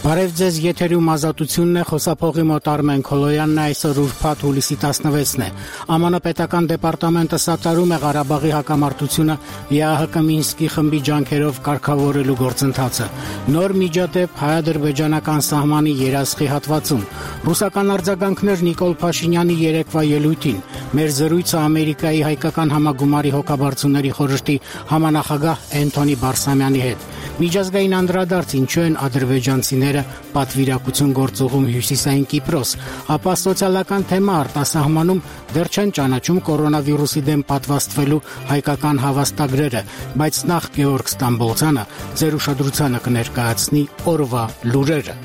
Բարև ձեզ, եթերում ազատությունն է, խոսափողի մոտ Արմեն Քոլոյանն է, այսօր ուրբաթ հուլիսի 16-ն է։ ԱՄՆ պետական դեպարտամենտը սատարում է Ղարաբաղի հակամարտությունը ԵԱՀԿ Մինսկի խմբի ջանքերով կարգավորելու գործընթացը։ Նոր միջադեպ հայ-ադրբեջանական սահմանի երասխի հատվածում։ Ռուսական արձագանքներ Նիկոլ Փաշինյանի երեկվա ելույթին։ Մեր զրույցը Ամերիկայի հայկական համագումարի հոգաբարձուների խորհրդի համանախագահ Էնթոնի Բարսամյանի հետ։ Միջազգային անդրադարձ ինչու են ադրբեջանցիները պատվիրակություն գործուղում Հյուսիսային Կիպրոս, ապա սոցիալական թեմա արտասահմանում դեռ չեն ճանաչում կորոնավիրուսի դեմ պատվաստվելու հայկական հավաստագրերը, բայց նախ Գեորգ Ստամբոլցյանը ձեր ուշադրությանը կներկայացնի օրվա լուրերը։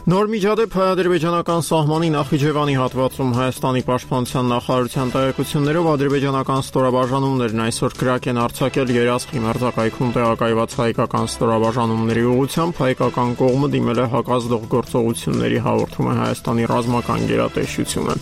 Նոր միջադեպ հայ-ադրբեջանական սահմանի Նախիջևանի հատվածում Հայաստանի պաշտպանության նախարարության տեղեկություններով ադրբեջանական ստորաբաժանումներն այսօր կրակ են արձակել երասխի մերձակայքում տեղակայված հայկական ստորաբաժանումների ուղղությամբ, հայկական կողմը դիմել է հակազդող գործողությունների, հաղորդում է Հայաստանի ռազմական գերատեսչությունը։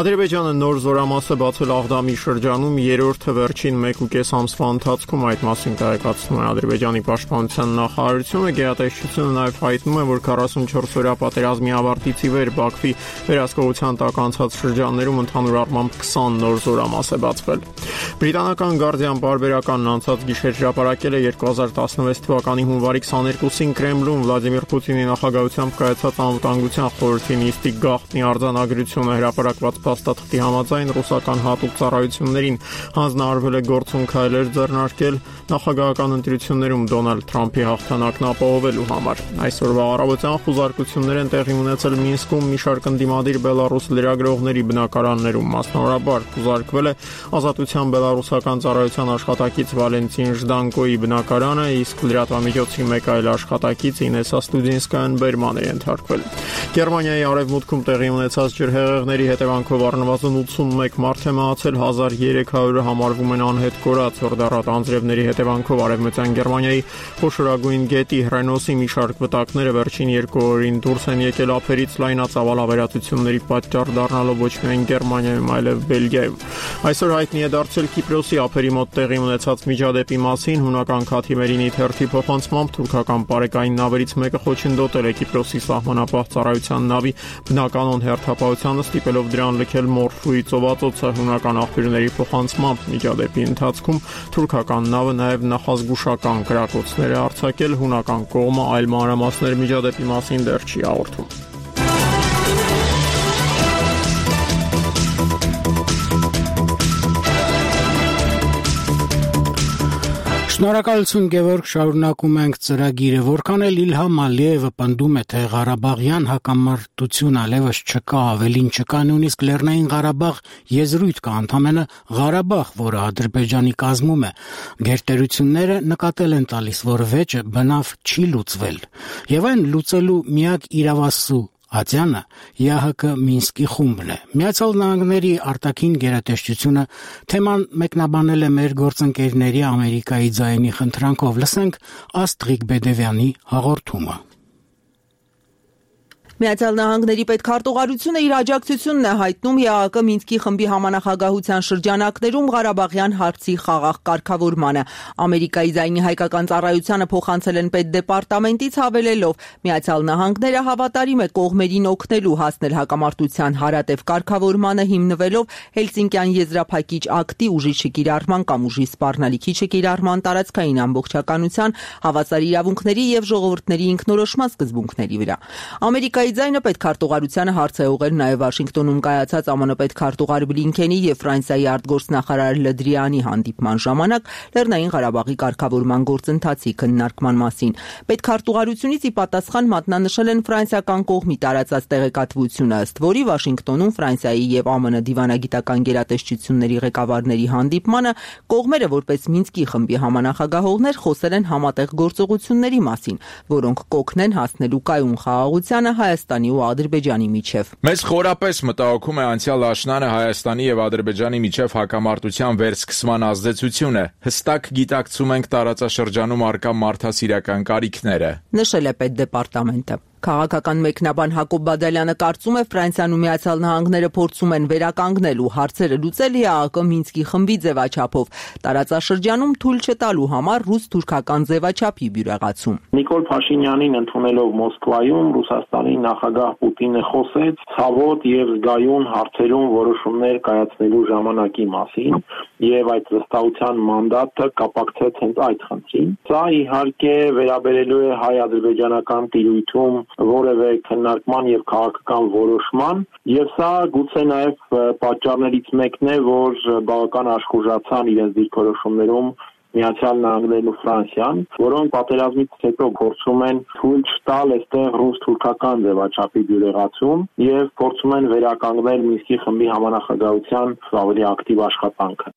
Ադրբեջանը նոր զորամաս է բացել Աղդամի շրջանում, երրորդը վերջին 1.5 ամսվա ընթացքում, այդ մասին տեղեկացնում է Ադրբեջանի պաշտպանության նախարարությունը։ Գերատեսչությունը նաև հայտնում է, որ 44 օրյա պատերազմի ավարտից ի վեր Բաքվի վերահսկողության տակ անցած շրջաններում ընդհանուր առմամբ 20 նոր զորամաս է բացվել։ Բրիտանական Guardian պարբերականն անցած գիշեր հրապարակել է 2016 թվականի հունվարի 22-ին Կրեմլում Վլադիմիր Պուտինի նախագահությամբ կայացած անվտանգության խորհրդի նիստի գաղտնի արձանագրությունը հրապարակված փաստաթղթի համաձայն ռուսական հատուկ ծառայություններին հանձնարարվել է գործուն քայլեր ձեռնարկել նախագահական ընտրություններում Դոնալդ Թրամփի հաղթանակն ապահովելու համար։ Այսօրվա առավոտյան խուզարկություններ են տեղի ունեցել Մինսկում մի շարք ընդդիմադիր բելարուս լրագրողների բնակարաններում, մասնավորաբար խուզարկվել է Ազատության բելարուսական ծառայության աշխատակից Վալենտին Ժդանկոյի բնակարանը, իսկ լրատվամիջոցի մեկ այլ աշխատակից Ինեսա Ստուդինսկայան բերման է ենթարկվել։ Գերմանիայի արևմուտքում տեղի ունեցած ջրհեղեղների հետևանքով առնվազն 81 մարդ է մահացել, 1300-ը համարվում են անհետ կորած։ Հորդառատ անձրևների հետևանքով արևմտյան Գերմանիայի խոշորագույն գետի Հռենոսի մի շարք վտակները վերջին 2 օրին դուրս են եկել ափերից, լայնածավալ ավերածությունների պատճառ դառնալով ոչ միայն Գերմանիայում, այլև Բելգիայում։ Այսօր հայտնի է դարձել Կիպրոսի ափերի մոտ տեղի ունեցած միջադեպի մասին։ Հունական Քաթիմերինի թերթի փոխանցմամբ թուրքական պարեկային նավերից մեկը խոչընդոտել է Կիպրոսի սահմանապահ ծառայության նավի բնականոն հերթապահությանը, ստիպելով դրան լքել Մորֆուի ծովածոցը։ Հունական աղբյուրների փոխանցմամբ միջադեպի ընթացքում թուրքական նավը նաև նախազգուշական կրակոցներ է արձակել։ Հունական կողմը այլ մանրամասներ միջադեպի մասին դեռ չի հաղորդում։ Շնորհակալություն Գևորգ, շարունակում ենք ծրագիրը։ Որքան էլ Իլհամ Ալիևը պնդում է, թե Ղարաբաղյան հակամարտություն այլևս չկա, ավելին չկա, նույնիսկ Լեռնային Ղարաբաղ եզրույթ կա, ընդամենը Ղարաբաղ, որը Ադրբեջանի կազմում է, գերտերությունները նկատել են տալիս, որ վեճը բնավ չի լուծվել, եւ այն լուծելու միակ իրավասու ատյանը ԵԱՀԿ Մինսկի խումբն է։ Միացյալ Նահանգների արտաքին գերատեսչությունը թեման մեկնաբանել է մեր գործընկերների Ամերիկայի ձայնի խնդրանքով։ Լսենք Աստրիկ Բեդևյանի հաղորդումը։ Միացյալ Նահանգների պետքարտուղարությունը իր աջակցությունն է հայտնում ԵԱՀԿ Մինսկի խմբի համանախագահության շրջանակներում Ղարաբաղյան հարցի խաղաղ կարգավորմանը։ Ամերիկայի ձայնի հայկական ծառայությանը փոխանցել են պետդեպարտամենտից հավելելով. Միացյալ Նահանգները հավատարիմ է կողմերին օգնելու հասնել հակամարտության հարատև կարգավորմանը հիմնվելով Հելսինկյան եզրափակիչ ակտի ուժի չկիրառման կամ ուժի սպառնալիքի չկիրառման տարածքային ամբողջականության, հավասար իրավունքների եւ ժողովուրդների ինքնորոշման սկզբունքների վրա։ Ամերիկայի ձայնը պետքարտուղարությանը հարց է ուղղել նաև Վաշինգտոնում կայացած ԱՄՆ պետքարտուղար Բլինքենի եւ Ֆրանսիայի արտգործնախարար Լդրիանի հանդիպման ժամանակ Լեռնային Ղարաբաղի կարգավորման գործընթացի քննարկման մասին։ Պետքարտուղարությունից ի պատասխան մատնանշել են ֆրանսիական կողմի տարածած տեղեկատվությունը, ըստ որի Վաշինգտոնում Ֆրանսիայի եւ ԱՄՆ դիվանագիտական գերատեսչությունների ղեկավարների հանդիպմանը կողմերը որպես Մինսկի խմբի համանախագահողներ խոսել են համատեղ գործողությունների մասին, որոնք կօգնեն հասնելու կայուն խաղաղությանը Հայաստանի ու Ադրբեջանի միջև։ Մեզ խորապես մտահոգում է անցյալ աշնանը Հայաստանի եւ Ադրբեջանի միջև հակամարտության վերսկսման ազդեցությունը։ Հստակ գիտակցում ենք տարածաշրջանում առկա մարդասիրական կարիքները, նշել է պետդեպարտամենտը։ Քաղաքական մեկնաբան Հակոբ Բադալյանը կարծում է Ֆրանսիան ու Միացյալ Նահանգները փորձում են վերականգնել ու հարցերը լուծել ԵԱՀԿ Մինսկի խմբի ձևաչափով, տարածաշրջանում թույլ չտալու համար ռուս-թուրքական ձևաչափի բյուրեղացում։ Նիկոլ Փաշինյանին ընդունելով Մոսկվայում Ռուսաստանի նախագահ Պուտինը խոսեց ցավոտ եւ զգայուն հարցերում որոշումներ կայացնելու ժամանակի մասին եւ այդ վստահության մանդատը կապակցեց հենց այդ խնդրին։ Սա իհարկե վերաբերելու է հայ-ադրբեջանական տիրույթում որևէ քննարկման եւ քաղաքական որոշման եւ սա գուցե նաեւ պատճառներից մեկն է, որ բավական աշխուժացան իրենց դիրքորոշումներում Միացյալ Նահանգներն ու Ֆրանսիան, որոնք պատերազմից հետո փորձում են թույլ չտալ այստեղ ռուս-թուրքական ձևաչափի բյուրեղացում եւ փորձում են վերականգնել Մինսկի խմբի համանախագահության ավելի ակտիվ աշխատանքը։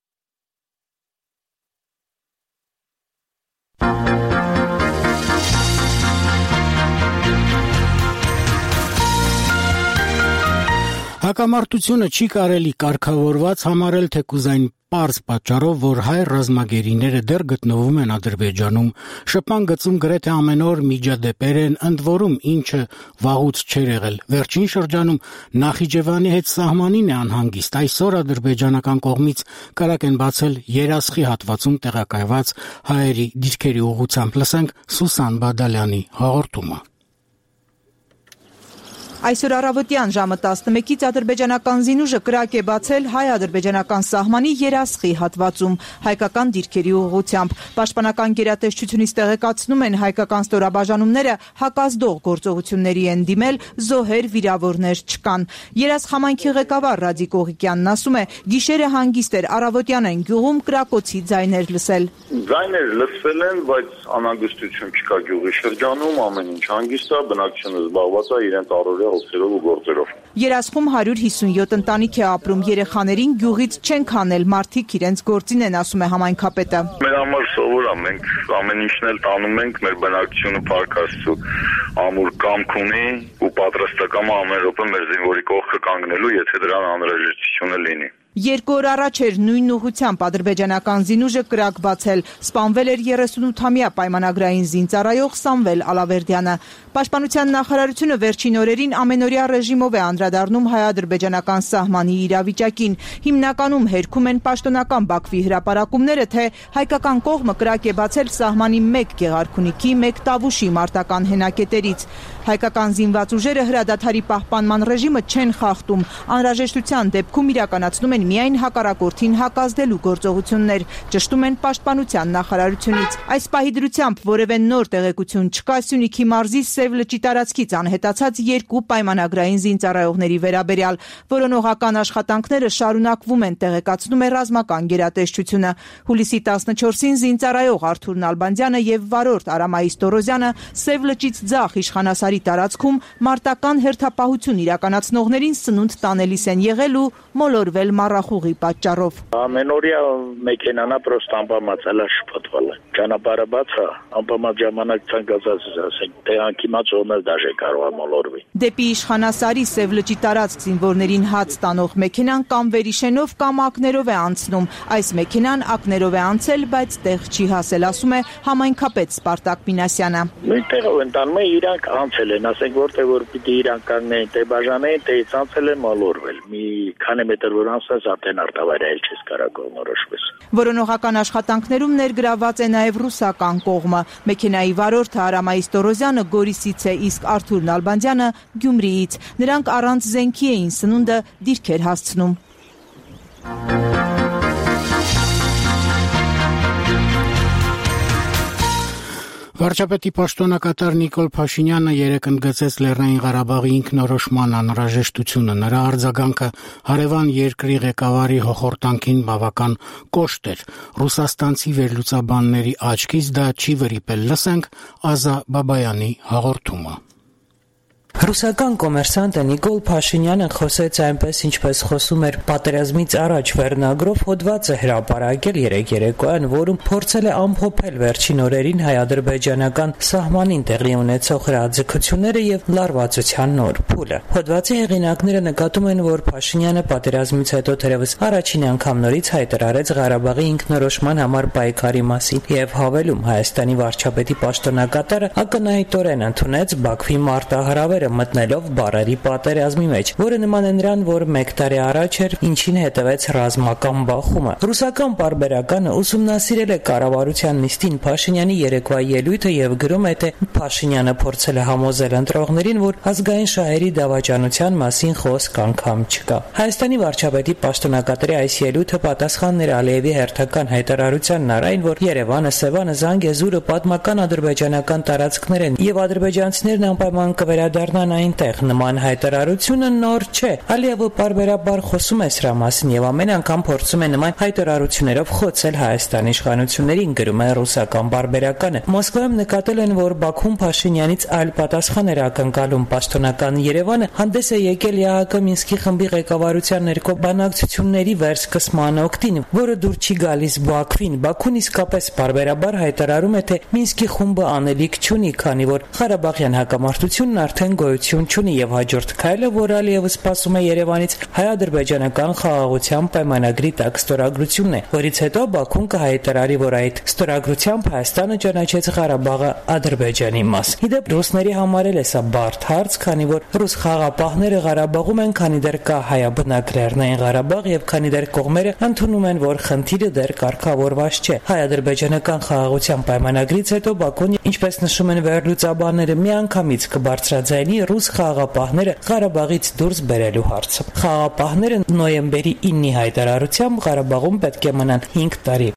Հակամարտությունը չի կարելի կարգավորված համարել թեկուզ այն պարզ պատճառով, որ հայ ռազմագերիները դեռ գտնվում են Ադրբեջանում, շփման գծում գրեթե ամեն օր միջադեպեր են, ընդ որում ինչը վաղուց չէր եղել։ Վերջին շրջանում Նախիջևանի հետ սահմանին է անհանգիստ։ Այսօր ադրբեջանական կողմից կարակ են բացել Երասխի հատվածում տեղակայված հայերի դիրքերի ուղղությամբ։ Լսենք Սուսան Բադալյանի հաղորդումը։ Այսօր առավոտյան ժամը 11-ից ադրբեջանական զինուժը կրակ է բացել հայ-ադրբեջանական սահմանի Երասխի հատվածում հայկական դիրքերի ուղղությամբ։ Պաշտպանական գերատեսչությունից տեղեկացնում են հայկական ստորաբաժանումները հակազդող գործողությունների են դիմել, զոհեր, վիրավորներ չկան։ Երասխ համայնքի ղեկավար Ռադիկ Օղիկյանն ասում է, գիշերը հանգիստ էր, առավոտյան են գյուղում կրակոցի ձայներ լսել։ Ձայներ լսվել են, բայց անհանգստություն չկա գյուղի շրջանում, ամեն ինչ հանգիստ է, բնակչությունը զբաղված է իրենց առօրյա հոգսերով ու գործերով։ Երասխում 157 ընտանիք է ապրում, երեխաներին գյուղից չեն քանել, մարդիկ իրենց գործին են, ասում է համայնքապետը։ Մեր համար սովոր է, մենք ամեն ինչն էլ տանում ենք, մեր բնակչությունը Փառք Աստծո ամուր կամք ունի ու պատրաստական ամեն րոպե մեր զինվորի կողքը կանգնելու, եթե դրան անհրաժեշտությունը լինի։ 2 օր առաջ էր նույն ուղղությամբ ադրբեջանական զինուժը կրակ բացել, սպանվել էր 38-ամյա պայմանագրային զինծառայող Սամվել Ալավերդյանը։ Պաշտպանության նախարարությունը վերջին օրերին ամենօրյա ռեժիմով է անդրադառնում հայ-ադրբեջանական սահմանի իրավիճակին։ Հիմնականում հերքում են պաշտոնական Բաքվի հրապարակումները, թե հայկական կողմը կրակ է բացել սահմանի 1 Գեղարքունիքի, 1 Տավուշի մարտական հենակետերից։ Հայկական զինված ուժերը հրադադարի պահպանման ռեժիմը չեն խախտում, անհրաժեշտության դեպքում իրականացնում են միայն հակառակորդին հակազդելու գործողություններ, ճշտում են պաշտպանության նախարարությունից։ Այս պահի դրությամբ որևէ նոր տեղեկություն չկա Սյունիքի մարզի Սև լճի տարածքից անհետացած 2 պայմանագրային զինծառայողների վերաբերյալ։ Որոնողական աշխատանքները շարունակվում են, տեղեկացնում է ռազմական գերատեսչությունը։ Հուլիսի 14-ին զինծառայող Արթուր Նալբանդյանը եւ վարորդ Արամայիս Տորոզյանը Սև լճից ձախ իշխանասարի տարածքում մարտական հերթապահություն իրականացնողներին սնունդ տանելիս են եղել ու մոլորվել մառախուղի պատճառով։ Ամենօրյա մեքենան պրոստը անպամացել է շփոթվել։ Ճանապարհը բաց է, անպամած ժամանակ ցանկացած ասենք, թե անկիմաց ոներ դաժե կարող է մոլորվի։ Դեպի իշխանասարի Սև լճի տարածք զինվորներին հաց տանող մեքենան կամ վերիշենով կամ ակներով է անցնում։ Այս մեքենան ակներով է անցել, բայց տեղ չի հասել, ասում է համայնքապետ Սպարտակ Մինասյանը։ Նույն տեղով են տանում, իրանք անցել են, ասենք որտեղ որ պիտի իրանք կանգնեն, թե բաժանեն, թե անցել են մոլորվել։ Մի քանի մետր որ անցած արդեն արտավայրել չես կարող կողմնորոշվես։ Որոնողական աշխատանքներում ներգրաված է նաև ռուսական կողմը։ Մեքենայի վարորդը Արամայիս Տորոզյանը Գորիսից է, իսկ Արթուր Նալբանդյանը Գյումրիից։ Նրանք առանց զենքի էին սնունդը դիրքեր հասցնում։ Վարչապետի պաշտոնակատար Նիկոլ Փաշինյանը երեկ ընդգծեց Լեռնային Ղարաբաղի ինքնորոշման անհրաժեշտությունը։ Նրա արձագանքը հարևան երկրի ղեկավարի հոխորտանքին բավական կոշտ էր։ Ռուսաստանցի վերլուծաբանների աչքից դա չի վրիպել։ Լսենք Ազա Բաբայանի հաղորդումը։ Ռուսական կոմերսանտը Նիկոլ Փաշինյանը խոսեց այնպես, ինչպես խոսում էր պատերազմից առաջ վերնագրով հոդվածը հրապարակել երեկ երեկոյան, որում փորձել է ամփոփել վերջին օրերին հայ-ադրբեջանական սահմանին տեղի ունեցող հրաձգությունները եւ լարվածության նոր փուլը։ Հոդվածի հեղինակները նկատում են, որ Փաշինյանը պատերազմից հետո թերևս առաջին անգամ նորից հայտարարեց Ղարաբաղի ինքնորոշման համար պայքարի մասին եւ հավելում Հայաստանի վարչապետի պաշտոնակատարը ակնհայտորեն ընդունեց Բաքվի մարտահրավերը մտնելով բարերի պատերազմի մեջ, որը նման է նրան, որ 1 տարի առաջ էր, ինչին հետևեց ռազմական բախումը։ Ռուսական պարբերականը ուսումնասիրել է կառավարության նիստին Փաշինյանի երեկվա ելույթը եւ գրում է, թե Փաշինյանը փորձել է համոզել ընտրողներին, որ ազգային շահերի դավաճանության մասին խոսք անգամ չկա։ Հայաստանի վարչապետի պաշտոնակատարի այս ելույթը պատասխանն էր Ալիևի հերթական հայտարարությանն այն, որ Երևանը, Սևանը, Զանգեզուրը պատմական ադրբեջանական տարածքներ են եւ ադրբեջանցիներն անպայման կվերադառնան այնտեղ։ Նման հայտարարությունը նոր չէ։ Ալիևը պարբերաբար խոսում է սրա մասին եւ ամեն անգամ փորձում է նման հայտարարություններով խոցել Հայաստանի իշխանություններին, գրում է ռուսական պարբերականը։ Մոսկվայում նկատել են, որ Բաքուն Փաշինյանից այլ պատասխան էր ակնկալում։ Պաշտոնական Երևանը հանդես է եկել ԵԱՀԿ Մինսկի խմբի ղեկավարության ներքո բանակցությունների վերսկսման օգտին, որը դուր չի գալիս Բաքվին։ Բաքուն իսկապես պարբերաբար հայտարարում է, թե Մինսկի խումբը անելիք չունի, քանի որ Ղարաբաղյան հակամարտությունն արդեն գոյություն չունի եւ հաջորդ քայլը, որ Ալիևը սպասում է Երևանից, հայ-ադրբեջանական խաղաղության պայմանագրի տակ ստորագրությունն է, որից հետո Բաքուն կհայտարարի, որ այդ ստորագրությամբ Հայաստանը ճանաչեց Ղարաբաղը Ադրբեջանի մաս։ Իդեպ ռուսների համար էլ է սա բարդ հարց, քանի որ ռուս խաղապահները Ղարաբաղում են, քանի դեռ կա հայաբնակ Լեռնային Ղարաբաղ եւ քանի դեռ կողմերը ընդունում են, որ խնդիրը դեռ կարգավորված չէ։ Հայ-ադրբեջանական խաղաղության պայմանագրից հետո Բաքուն, ինչպես նշում են վերլուծաբանները, միանգամից կբարձրաձայնի ռուս խաղապահները Ղարաբաղից դուրս բերելու հարցը։ Խաղապահները նոյեմբերի 9-ի հայտարարությամբ Ղարաբաղում պետք է մնան 5 տարի։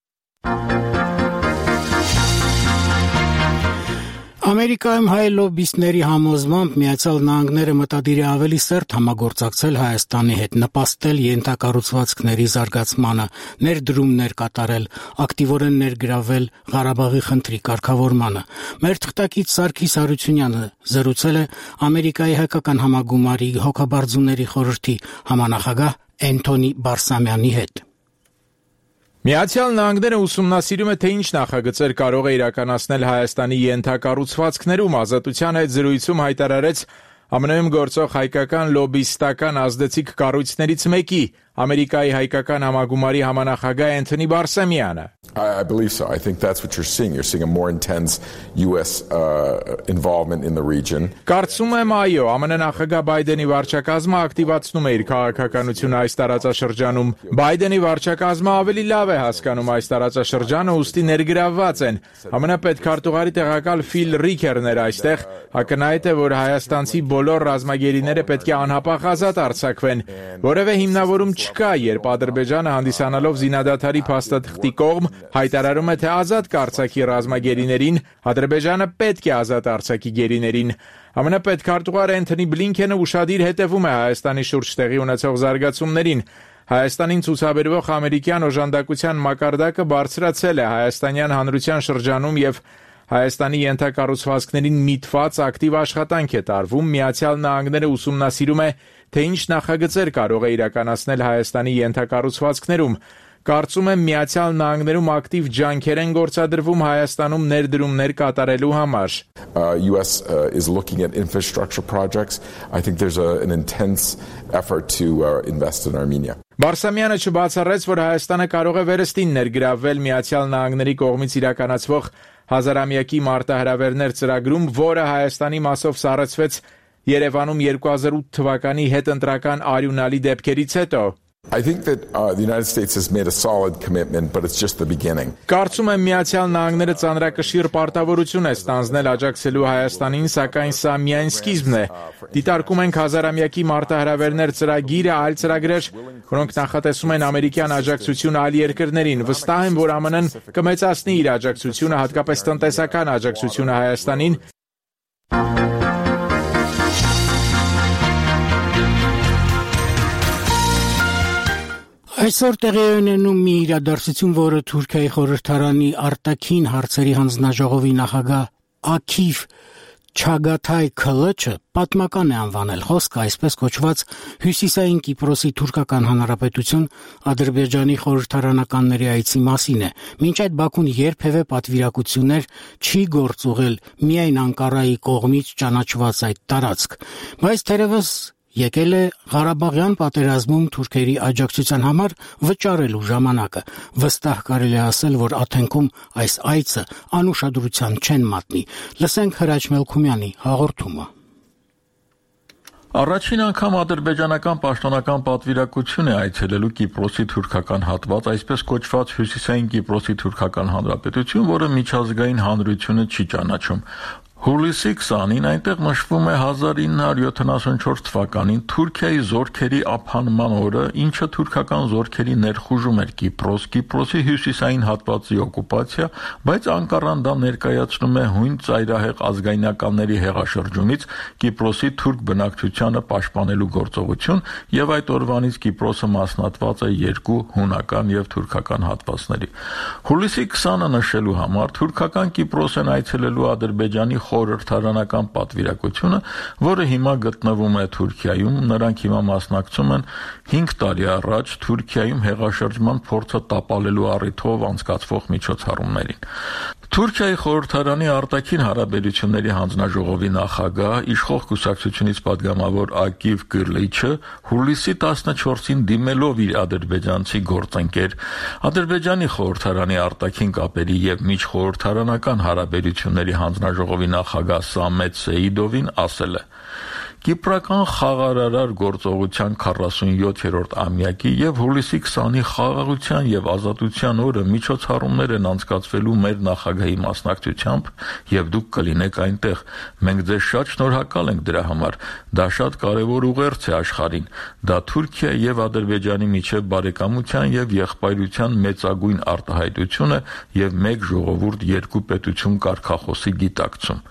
Ամերիկայում հայ լոբբիստների համոզմամբ Միացյալ Նահանգները մտադիր է ավելի սերտ համագործակցել Հայաստանի հետ, նպաստել ենթակառուցվածքների զարգացմանը, ներդրումներ կատարել, ակտիվորեն ներգրավել Ղարաբաղի խնդրի կարգավորմանը։ Մեր թղթակից Սարգիս Հարությունյանը զրուցել է Ամերիկայի հայկական համագումարի հոգաբարձուների խորհրդի համանախագահ Էնթոնի Բարսամյանի հետ։ Միացյալ Նահանգները ուսումնասիրում է, թե ինչ նախագծեր կարող է իրականացնել Հայաստանի ենթակառուցվածքներում։ Ազատության հետ զրույցում հայտարարեց ԱՄՆ-ում գործող հայկական լոբբիստական ազդեցիկ կառույցներից մեկի, Ամերիկայի հայկական համագումարի համանախագահ Էնթոնի Բարսամյանը։ I believe so. I think that's what you're seeing. You're seeing a more intense US involvement in the region. Կարծում եմ, այո, ԱՄՆ նախագահ Բայդենի վարչակազմը ակտիվացնում է իր քաղաքականությունը այս տարածաշրջանում։ Բայդենի վարչակազմը ավելի լավ է հասկանում այս տարածաշրջանը, ուստի ներգրավված են։ ԱՄՆ պետքարտուղարի տեղակալ Ֆիլ Ռիքերն էր այստեղ, ակնհայտ է, որ հայաստանցի բոլոր ռազմագերիները պետք է անհապաղ ազատ արձակվեն։ Որևէ հիմնավորում չկա, երբ Ադրբեջանը հանդիսանալով զինադադարի փաստաթղթի կողմ հայտարարում է, թե ազատ կարձակի ռազմագերիներին, Ադրբեջանը պետք է ազատ արձակի գերիներին։ ԱՄՆ պետքարտուղար Էնթոնի Բլինքենը ուշադիր հետևում է Հայաստանի շուրջ տեղի ունեցող զարգացումներին։ Հայաստանին ցուցաբերվող ամերիկյան օժանդակության մակարդակը բարձրացել է հայաստանյան հանրության շրջանում եւ Հայաստանի ենթակառուցվածքներին միտված ակտիվ աշխատանք է տարվում։ Միացյալ Նահանգները ուսումնասիրում է, թե ինչ նախագծեր կարող է իրականացնել Հայաստանի ենթակառուցվածքներում։ Կարծում եմ Միացյալ Նահանգներում ակտիվ ջանքեր են գործադրվում Հայաստանում ներդրումներ կատարելու համար։ US is looking at infrastructure projects. I think there's an intense effort to invest in Armenia. Բարսամյանը չբացառեց, որ Հայաստանը կարող է վերստին ներգրավել Միացյալ Նահանգների կողմից իրականացվող հազարամյակի մարտահրավերներ ծրագրում, որը Հայաստանի մասով սառեցվեց Երևանում 2008 թվականի հետընտրական արյունալի դեպքերից հետո։ I think that the United States has made a solid commitment, but it's just the beginning. Կարծում եմ Միացյալ Նահանգները ծանրակշիռ պարտավորություն է ստանձնել աջակցելու Հայաստանին, սակայն սա միայն սկիզբն է։ Դիտարկում ենք հազարամյակի մարտահրավերներ ծրագիրը, այլ ծրագրեր, որոնք նախատեսում են ամերիկյան աջակցություն այլ երկրներին։ Վստահ եմ, որ ԱՄՆ-ն կմեծացնի իր աջակցությունը, հատկապես տնտեսական աջակցությունը Հայաստանին։ Այսօր տեղի է ունենում մի իրադարձություն, որը Թուրքիայի խորհրդարանի արտաքին հարցերի հանձնաժողովի նախագահ Աքիվ Չագաթայ Քլչը պատմական է անվանել խոսքը այսպես կոչված Հյուսիսային Կիպրոսի թուրքական հանրապետություն Ադրբեջանի խորհրդարանականների այցի մասին է։ Մինչ այդ Բաքուն երբևէ պատվիրակություններ չի գործուղել միայն Անկարայի կողմից ճանաչված այդ տարածք, բայց թերևս եկել է Ղարաբաղյան պատերազմում թուրքերի աջակցության համար վճարելու ժամանակը։ Վստահ կարելի է ասել, որ Աթենքում այս այցը անուշադրության չեն մատնի։ Լսենք Հրաչ Մելքումյանի հաղորդումը։ Առաջին անգամ ադրբեջանական պաշտոնական պատվիրակություն է այցելելու Կիպրոսի թուրքական հատված, այսպես կոչված Հյուսիսային Կիպրոսի թուրքական հանրապետություն, որը միջազգային հանրությունը չի ճանաչում։ Հուլիսի 20-ին այնտեղ նշվում է 1974 թվականին Թուրքիայի զորքերի ափանման օրը, ինչը թուրքական զորքերի ներխուժում էր Կիպրոս, Կիպրոսի հյուսիսային հատվածի օկուպացիա, բայց Անկարան դա ներկայացնում է հույն ծայրահեղ ազգայնականների հեղաշրջումից Կիպրոսի թուրք բնակչությանը պաշտպանելու գործողություն, եւ այդ օրվանից Կիպրոսը մասնատված է երկու հունական եւ թուրքական հատվածների։ Հուլիսի 20-ը նշելու համար թուրքական Կիպրոս են այցելելու Ադրբեջանի խորհրդարանական պատվիրակությունը, որը հիմա գտնվում է Թուրքիայում, նրանք հիմա մասնակցում են 5 տարի առաջ Թուրքիայում հեղաշրջման փորձը տապալելու առիթով անցկացվող միջոցառումներին։ Թուրքիայի խորհրդարանի արտաքին հարաբերությունների հանձնաժողովի նախագահ, իշխող կուսակցությունից падգամավոր Ակիվ Կիրլիչը հուլիսի 14-ին դիմելով իր ադրբեջանցի գործընկեր, Ադրբեջանի խորհրդարանի արտաքին կապերի եւ միջխորհրդարանական հարաբերությունների հանձնաժողովի նախագահ Սամետ Սեիդովին ասել է. Կիպրական խաղարարար գործողության 47-րդ ամյակի եւ հուլիսի 20-ի խաղաղության եւ ազատության օրը միջոցառումներ են անցկացվելու մեր նախագահի մասնակցությամբ եւ դուք կլինեք այնտեղ։ Մենք ձեզ շատ շնորհակալ ենք դրա համար։ Դա շատ կարեւոր ուղերձ է աշխարհին։ Դա Թուրքիա եւ Ադրբեջանի միջեւ բարեկամության եւ եղբայրության մեծագույն արտահայտություն է եւ մեկ ժողովուրդ երկու պետություն կարգախոսի գիտակցում։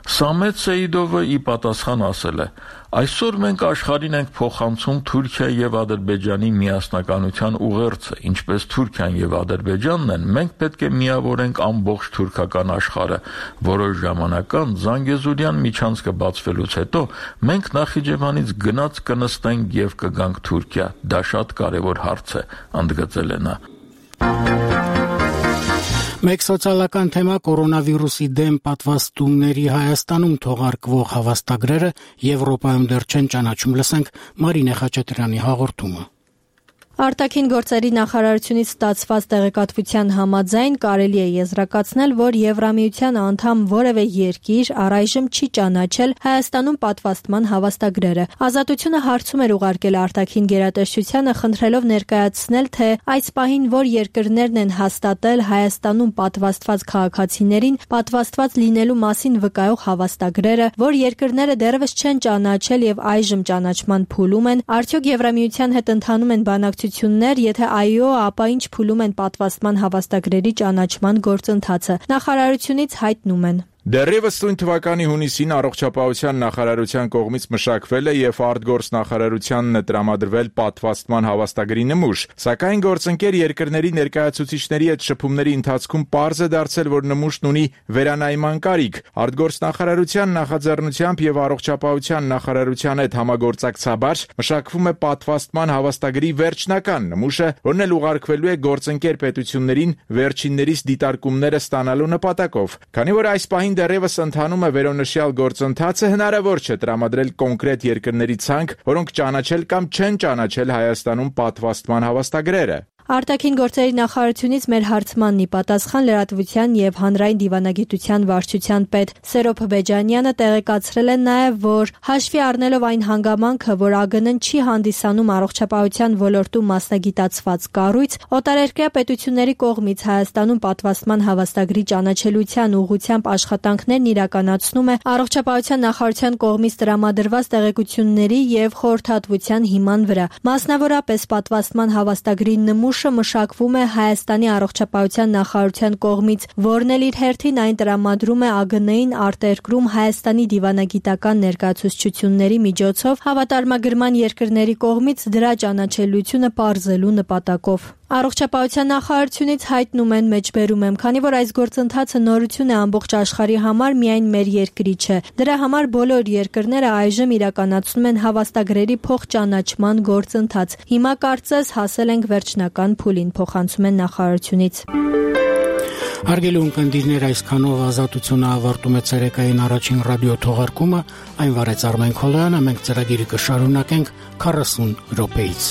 Սամետ Սեիդովը ի պատասխան ասել է. Այսօր մենք աշխարհին ենք փոխանցում Թուրքիա եւ Ադրբեջանի միասնականության ուղերձը, ինչպես Թուրքիան եւ Ադրբեջանն են, մենք պետք է միավորենք ամբողջ թուրքական աշխարհը։ Որոշ ժամանակ անց Զանգեզուրյան միջանցքը բացվելուց հետո մենք Նախիջևանից գնաց կնստենք եւ կգանք Թուրքիա։ Դա շատ կարեւոր հարց է, ընդգծել է նա։ Մեկ սոցիալական թեմա կորոնավիրուսի դեմ պատվաստումների Հայաստանում թողարկվող հավաստագրերը Եվրոպայում դեռ չեն ճանաչում։ Լսենք Մարինե Խաչատրյանի հաղորդումը։ Արտաքին գործերի նախարարությունից ստացված տեղեկատվության համաձայն կարելի է եզրակացնել, որ Եվրամիության անդամ որևէ երկիր առայժմ չի ճանաչել Հայաստանում պատվաստման հավաստագրերը։ Ազատությունը հարցում էր ուղարկել արտաքին գերատեսչությանը, խնդրելով ներկայացնել, թե այս պահին որ երկրներն են հաստատել Հայաստանում պատվաստված քաղաքացիներին պատվաստված լինելու մասին վկայող հավաստագրերը, որ երկրները դեռևս չեն ճանաչել եւ այժմ ճանաչման փուլում են, արդյոք Եվրամիության հետ ընթանում են բանակցություններ, եթե այո, ապա ինչ փուլում են պատվաստման հավաստագրերի ճանաչման գործընթացը։ Նախարարությունից հայտնում են. Դեռևս նույն թվականի հունիսին առողջապահության նախարարության կողմից մշակվել է եւ արտգործ նախարարությանն տրամադրվել պատվաստման հավաստագրի նմուշ, սակայն գործընկեր երկրների ներկայացուցիչների հետ շփումների ընթացքում պարզ է դարձել, որ նմուշն ունի վերանայման կարիք։ Արտգործ նախարարության նախաձեռնությամբ եւ առողջապահության նախարարության հետ համագործակցաբար մշակվում է պատվաստման հավաստագրի վերջնական նմուշը, որն էլ ուղարկվելու է գործընկեր պետություններին վերջիններիս դիտարկումները ստանալու նպատակով։ Քանի որ այս պահին դեռևս ընթանում է վերոնշյալ գործընթացը, հնարավոր չէ տրամադրել կոնկրետ երկրների ցանկ, որոնք ճանաչել կամ չեն ճանաչել Հայաստանում պատվաստման հավաստագրերը։ Արտաքին գործերի նախարարությունից մեր հարցմանն ի պատասխան լրատվության եւ հանրային դիվանագիտության վարչության պետ Սերոբ Բեջանյանը տեղեկացրել է նաեւ, որ հաշվի առնելով այն հանգամանքը, որ ԱԳՆ-ն չի հանդիսանում առողջապահության ոլորտում մասնագիտացված կառույց, օտարերկրյա պետությունների կողմից Հայաստանում պատվաստման հավաստագրի ճանաչելիության ուղղությամբ աշխատանքներն իրականացնում է առողջապահության նախարարության կողմից տրամադրված տեղեկությունների եւ խորհրդատվության հիման վրա։ Մասնավորապես պատվաստման հավաստագրի նմուշ մշակվում է Հայաստանի առողջապահության նախարարության կողմից, որն էլ իր հերթին այն տրամադրում է ԱԳՆ-ին արտերկրում Հայաստանի դիվանագիտական ներկայացուցչությունների միջոցով հավատարմագրման երկրների կողմից դրա ճանաչելիությունը պարզելու նպատակով։ Առողջապահության նախարարությունից հայտնում են մեջբերում եմ, քանի որ այս գործընթացը նորություն է ամբողջ աշխարհի համար, միայն մեր երկրի չէ։ Դրա համար բոլոր երկրները այժմ իրականացնում են հավաստագրերի փոխճանաչման գործընթաց։ Հիմա կարծես հասել ենք վերջնական փուլին, փոխանցում են նախարարությունից։ Հարգելի ունկնդիրներ, այսքանով Ազատությունը ավարտում է ցերեկային առաջին ռադիո թողարկումը, այն վարեց Արմեն Քոլոյանը, մենք ծրագիրը կշարունակենք 40 րոպեից։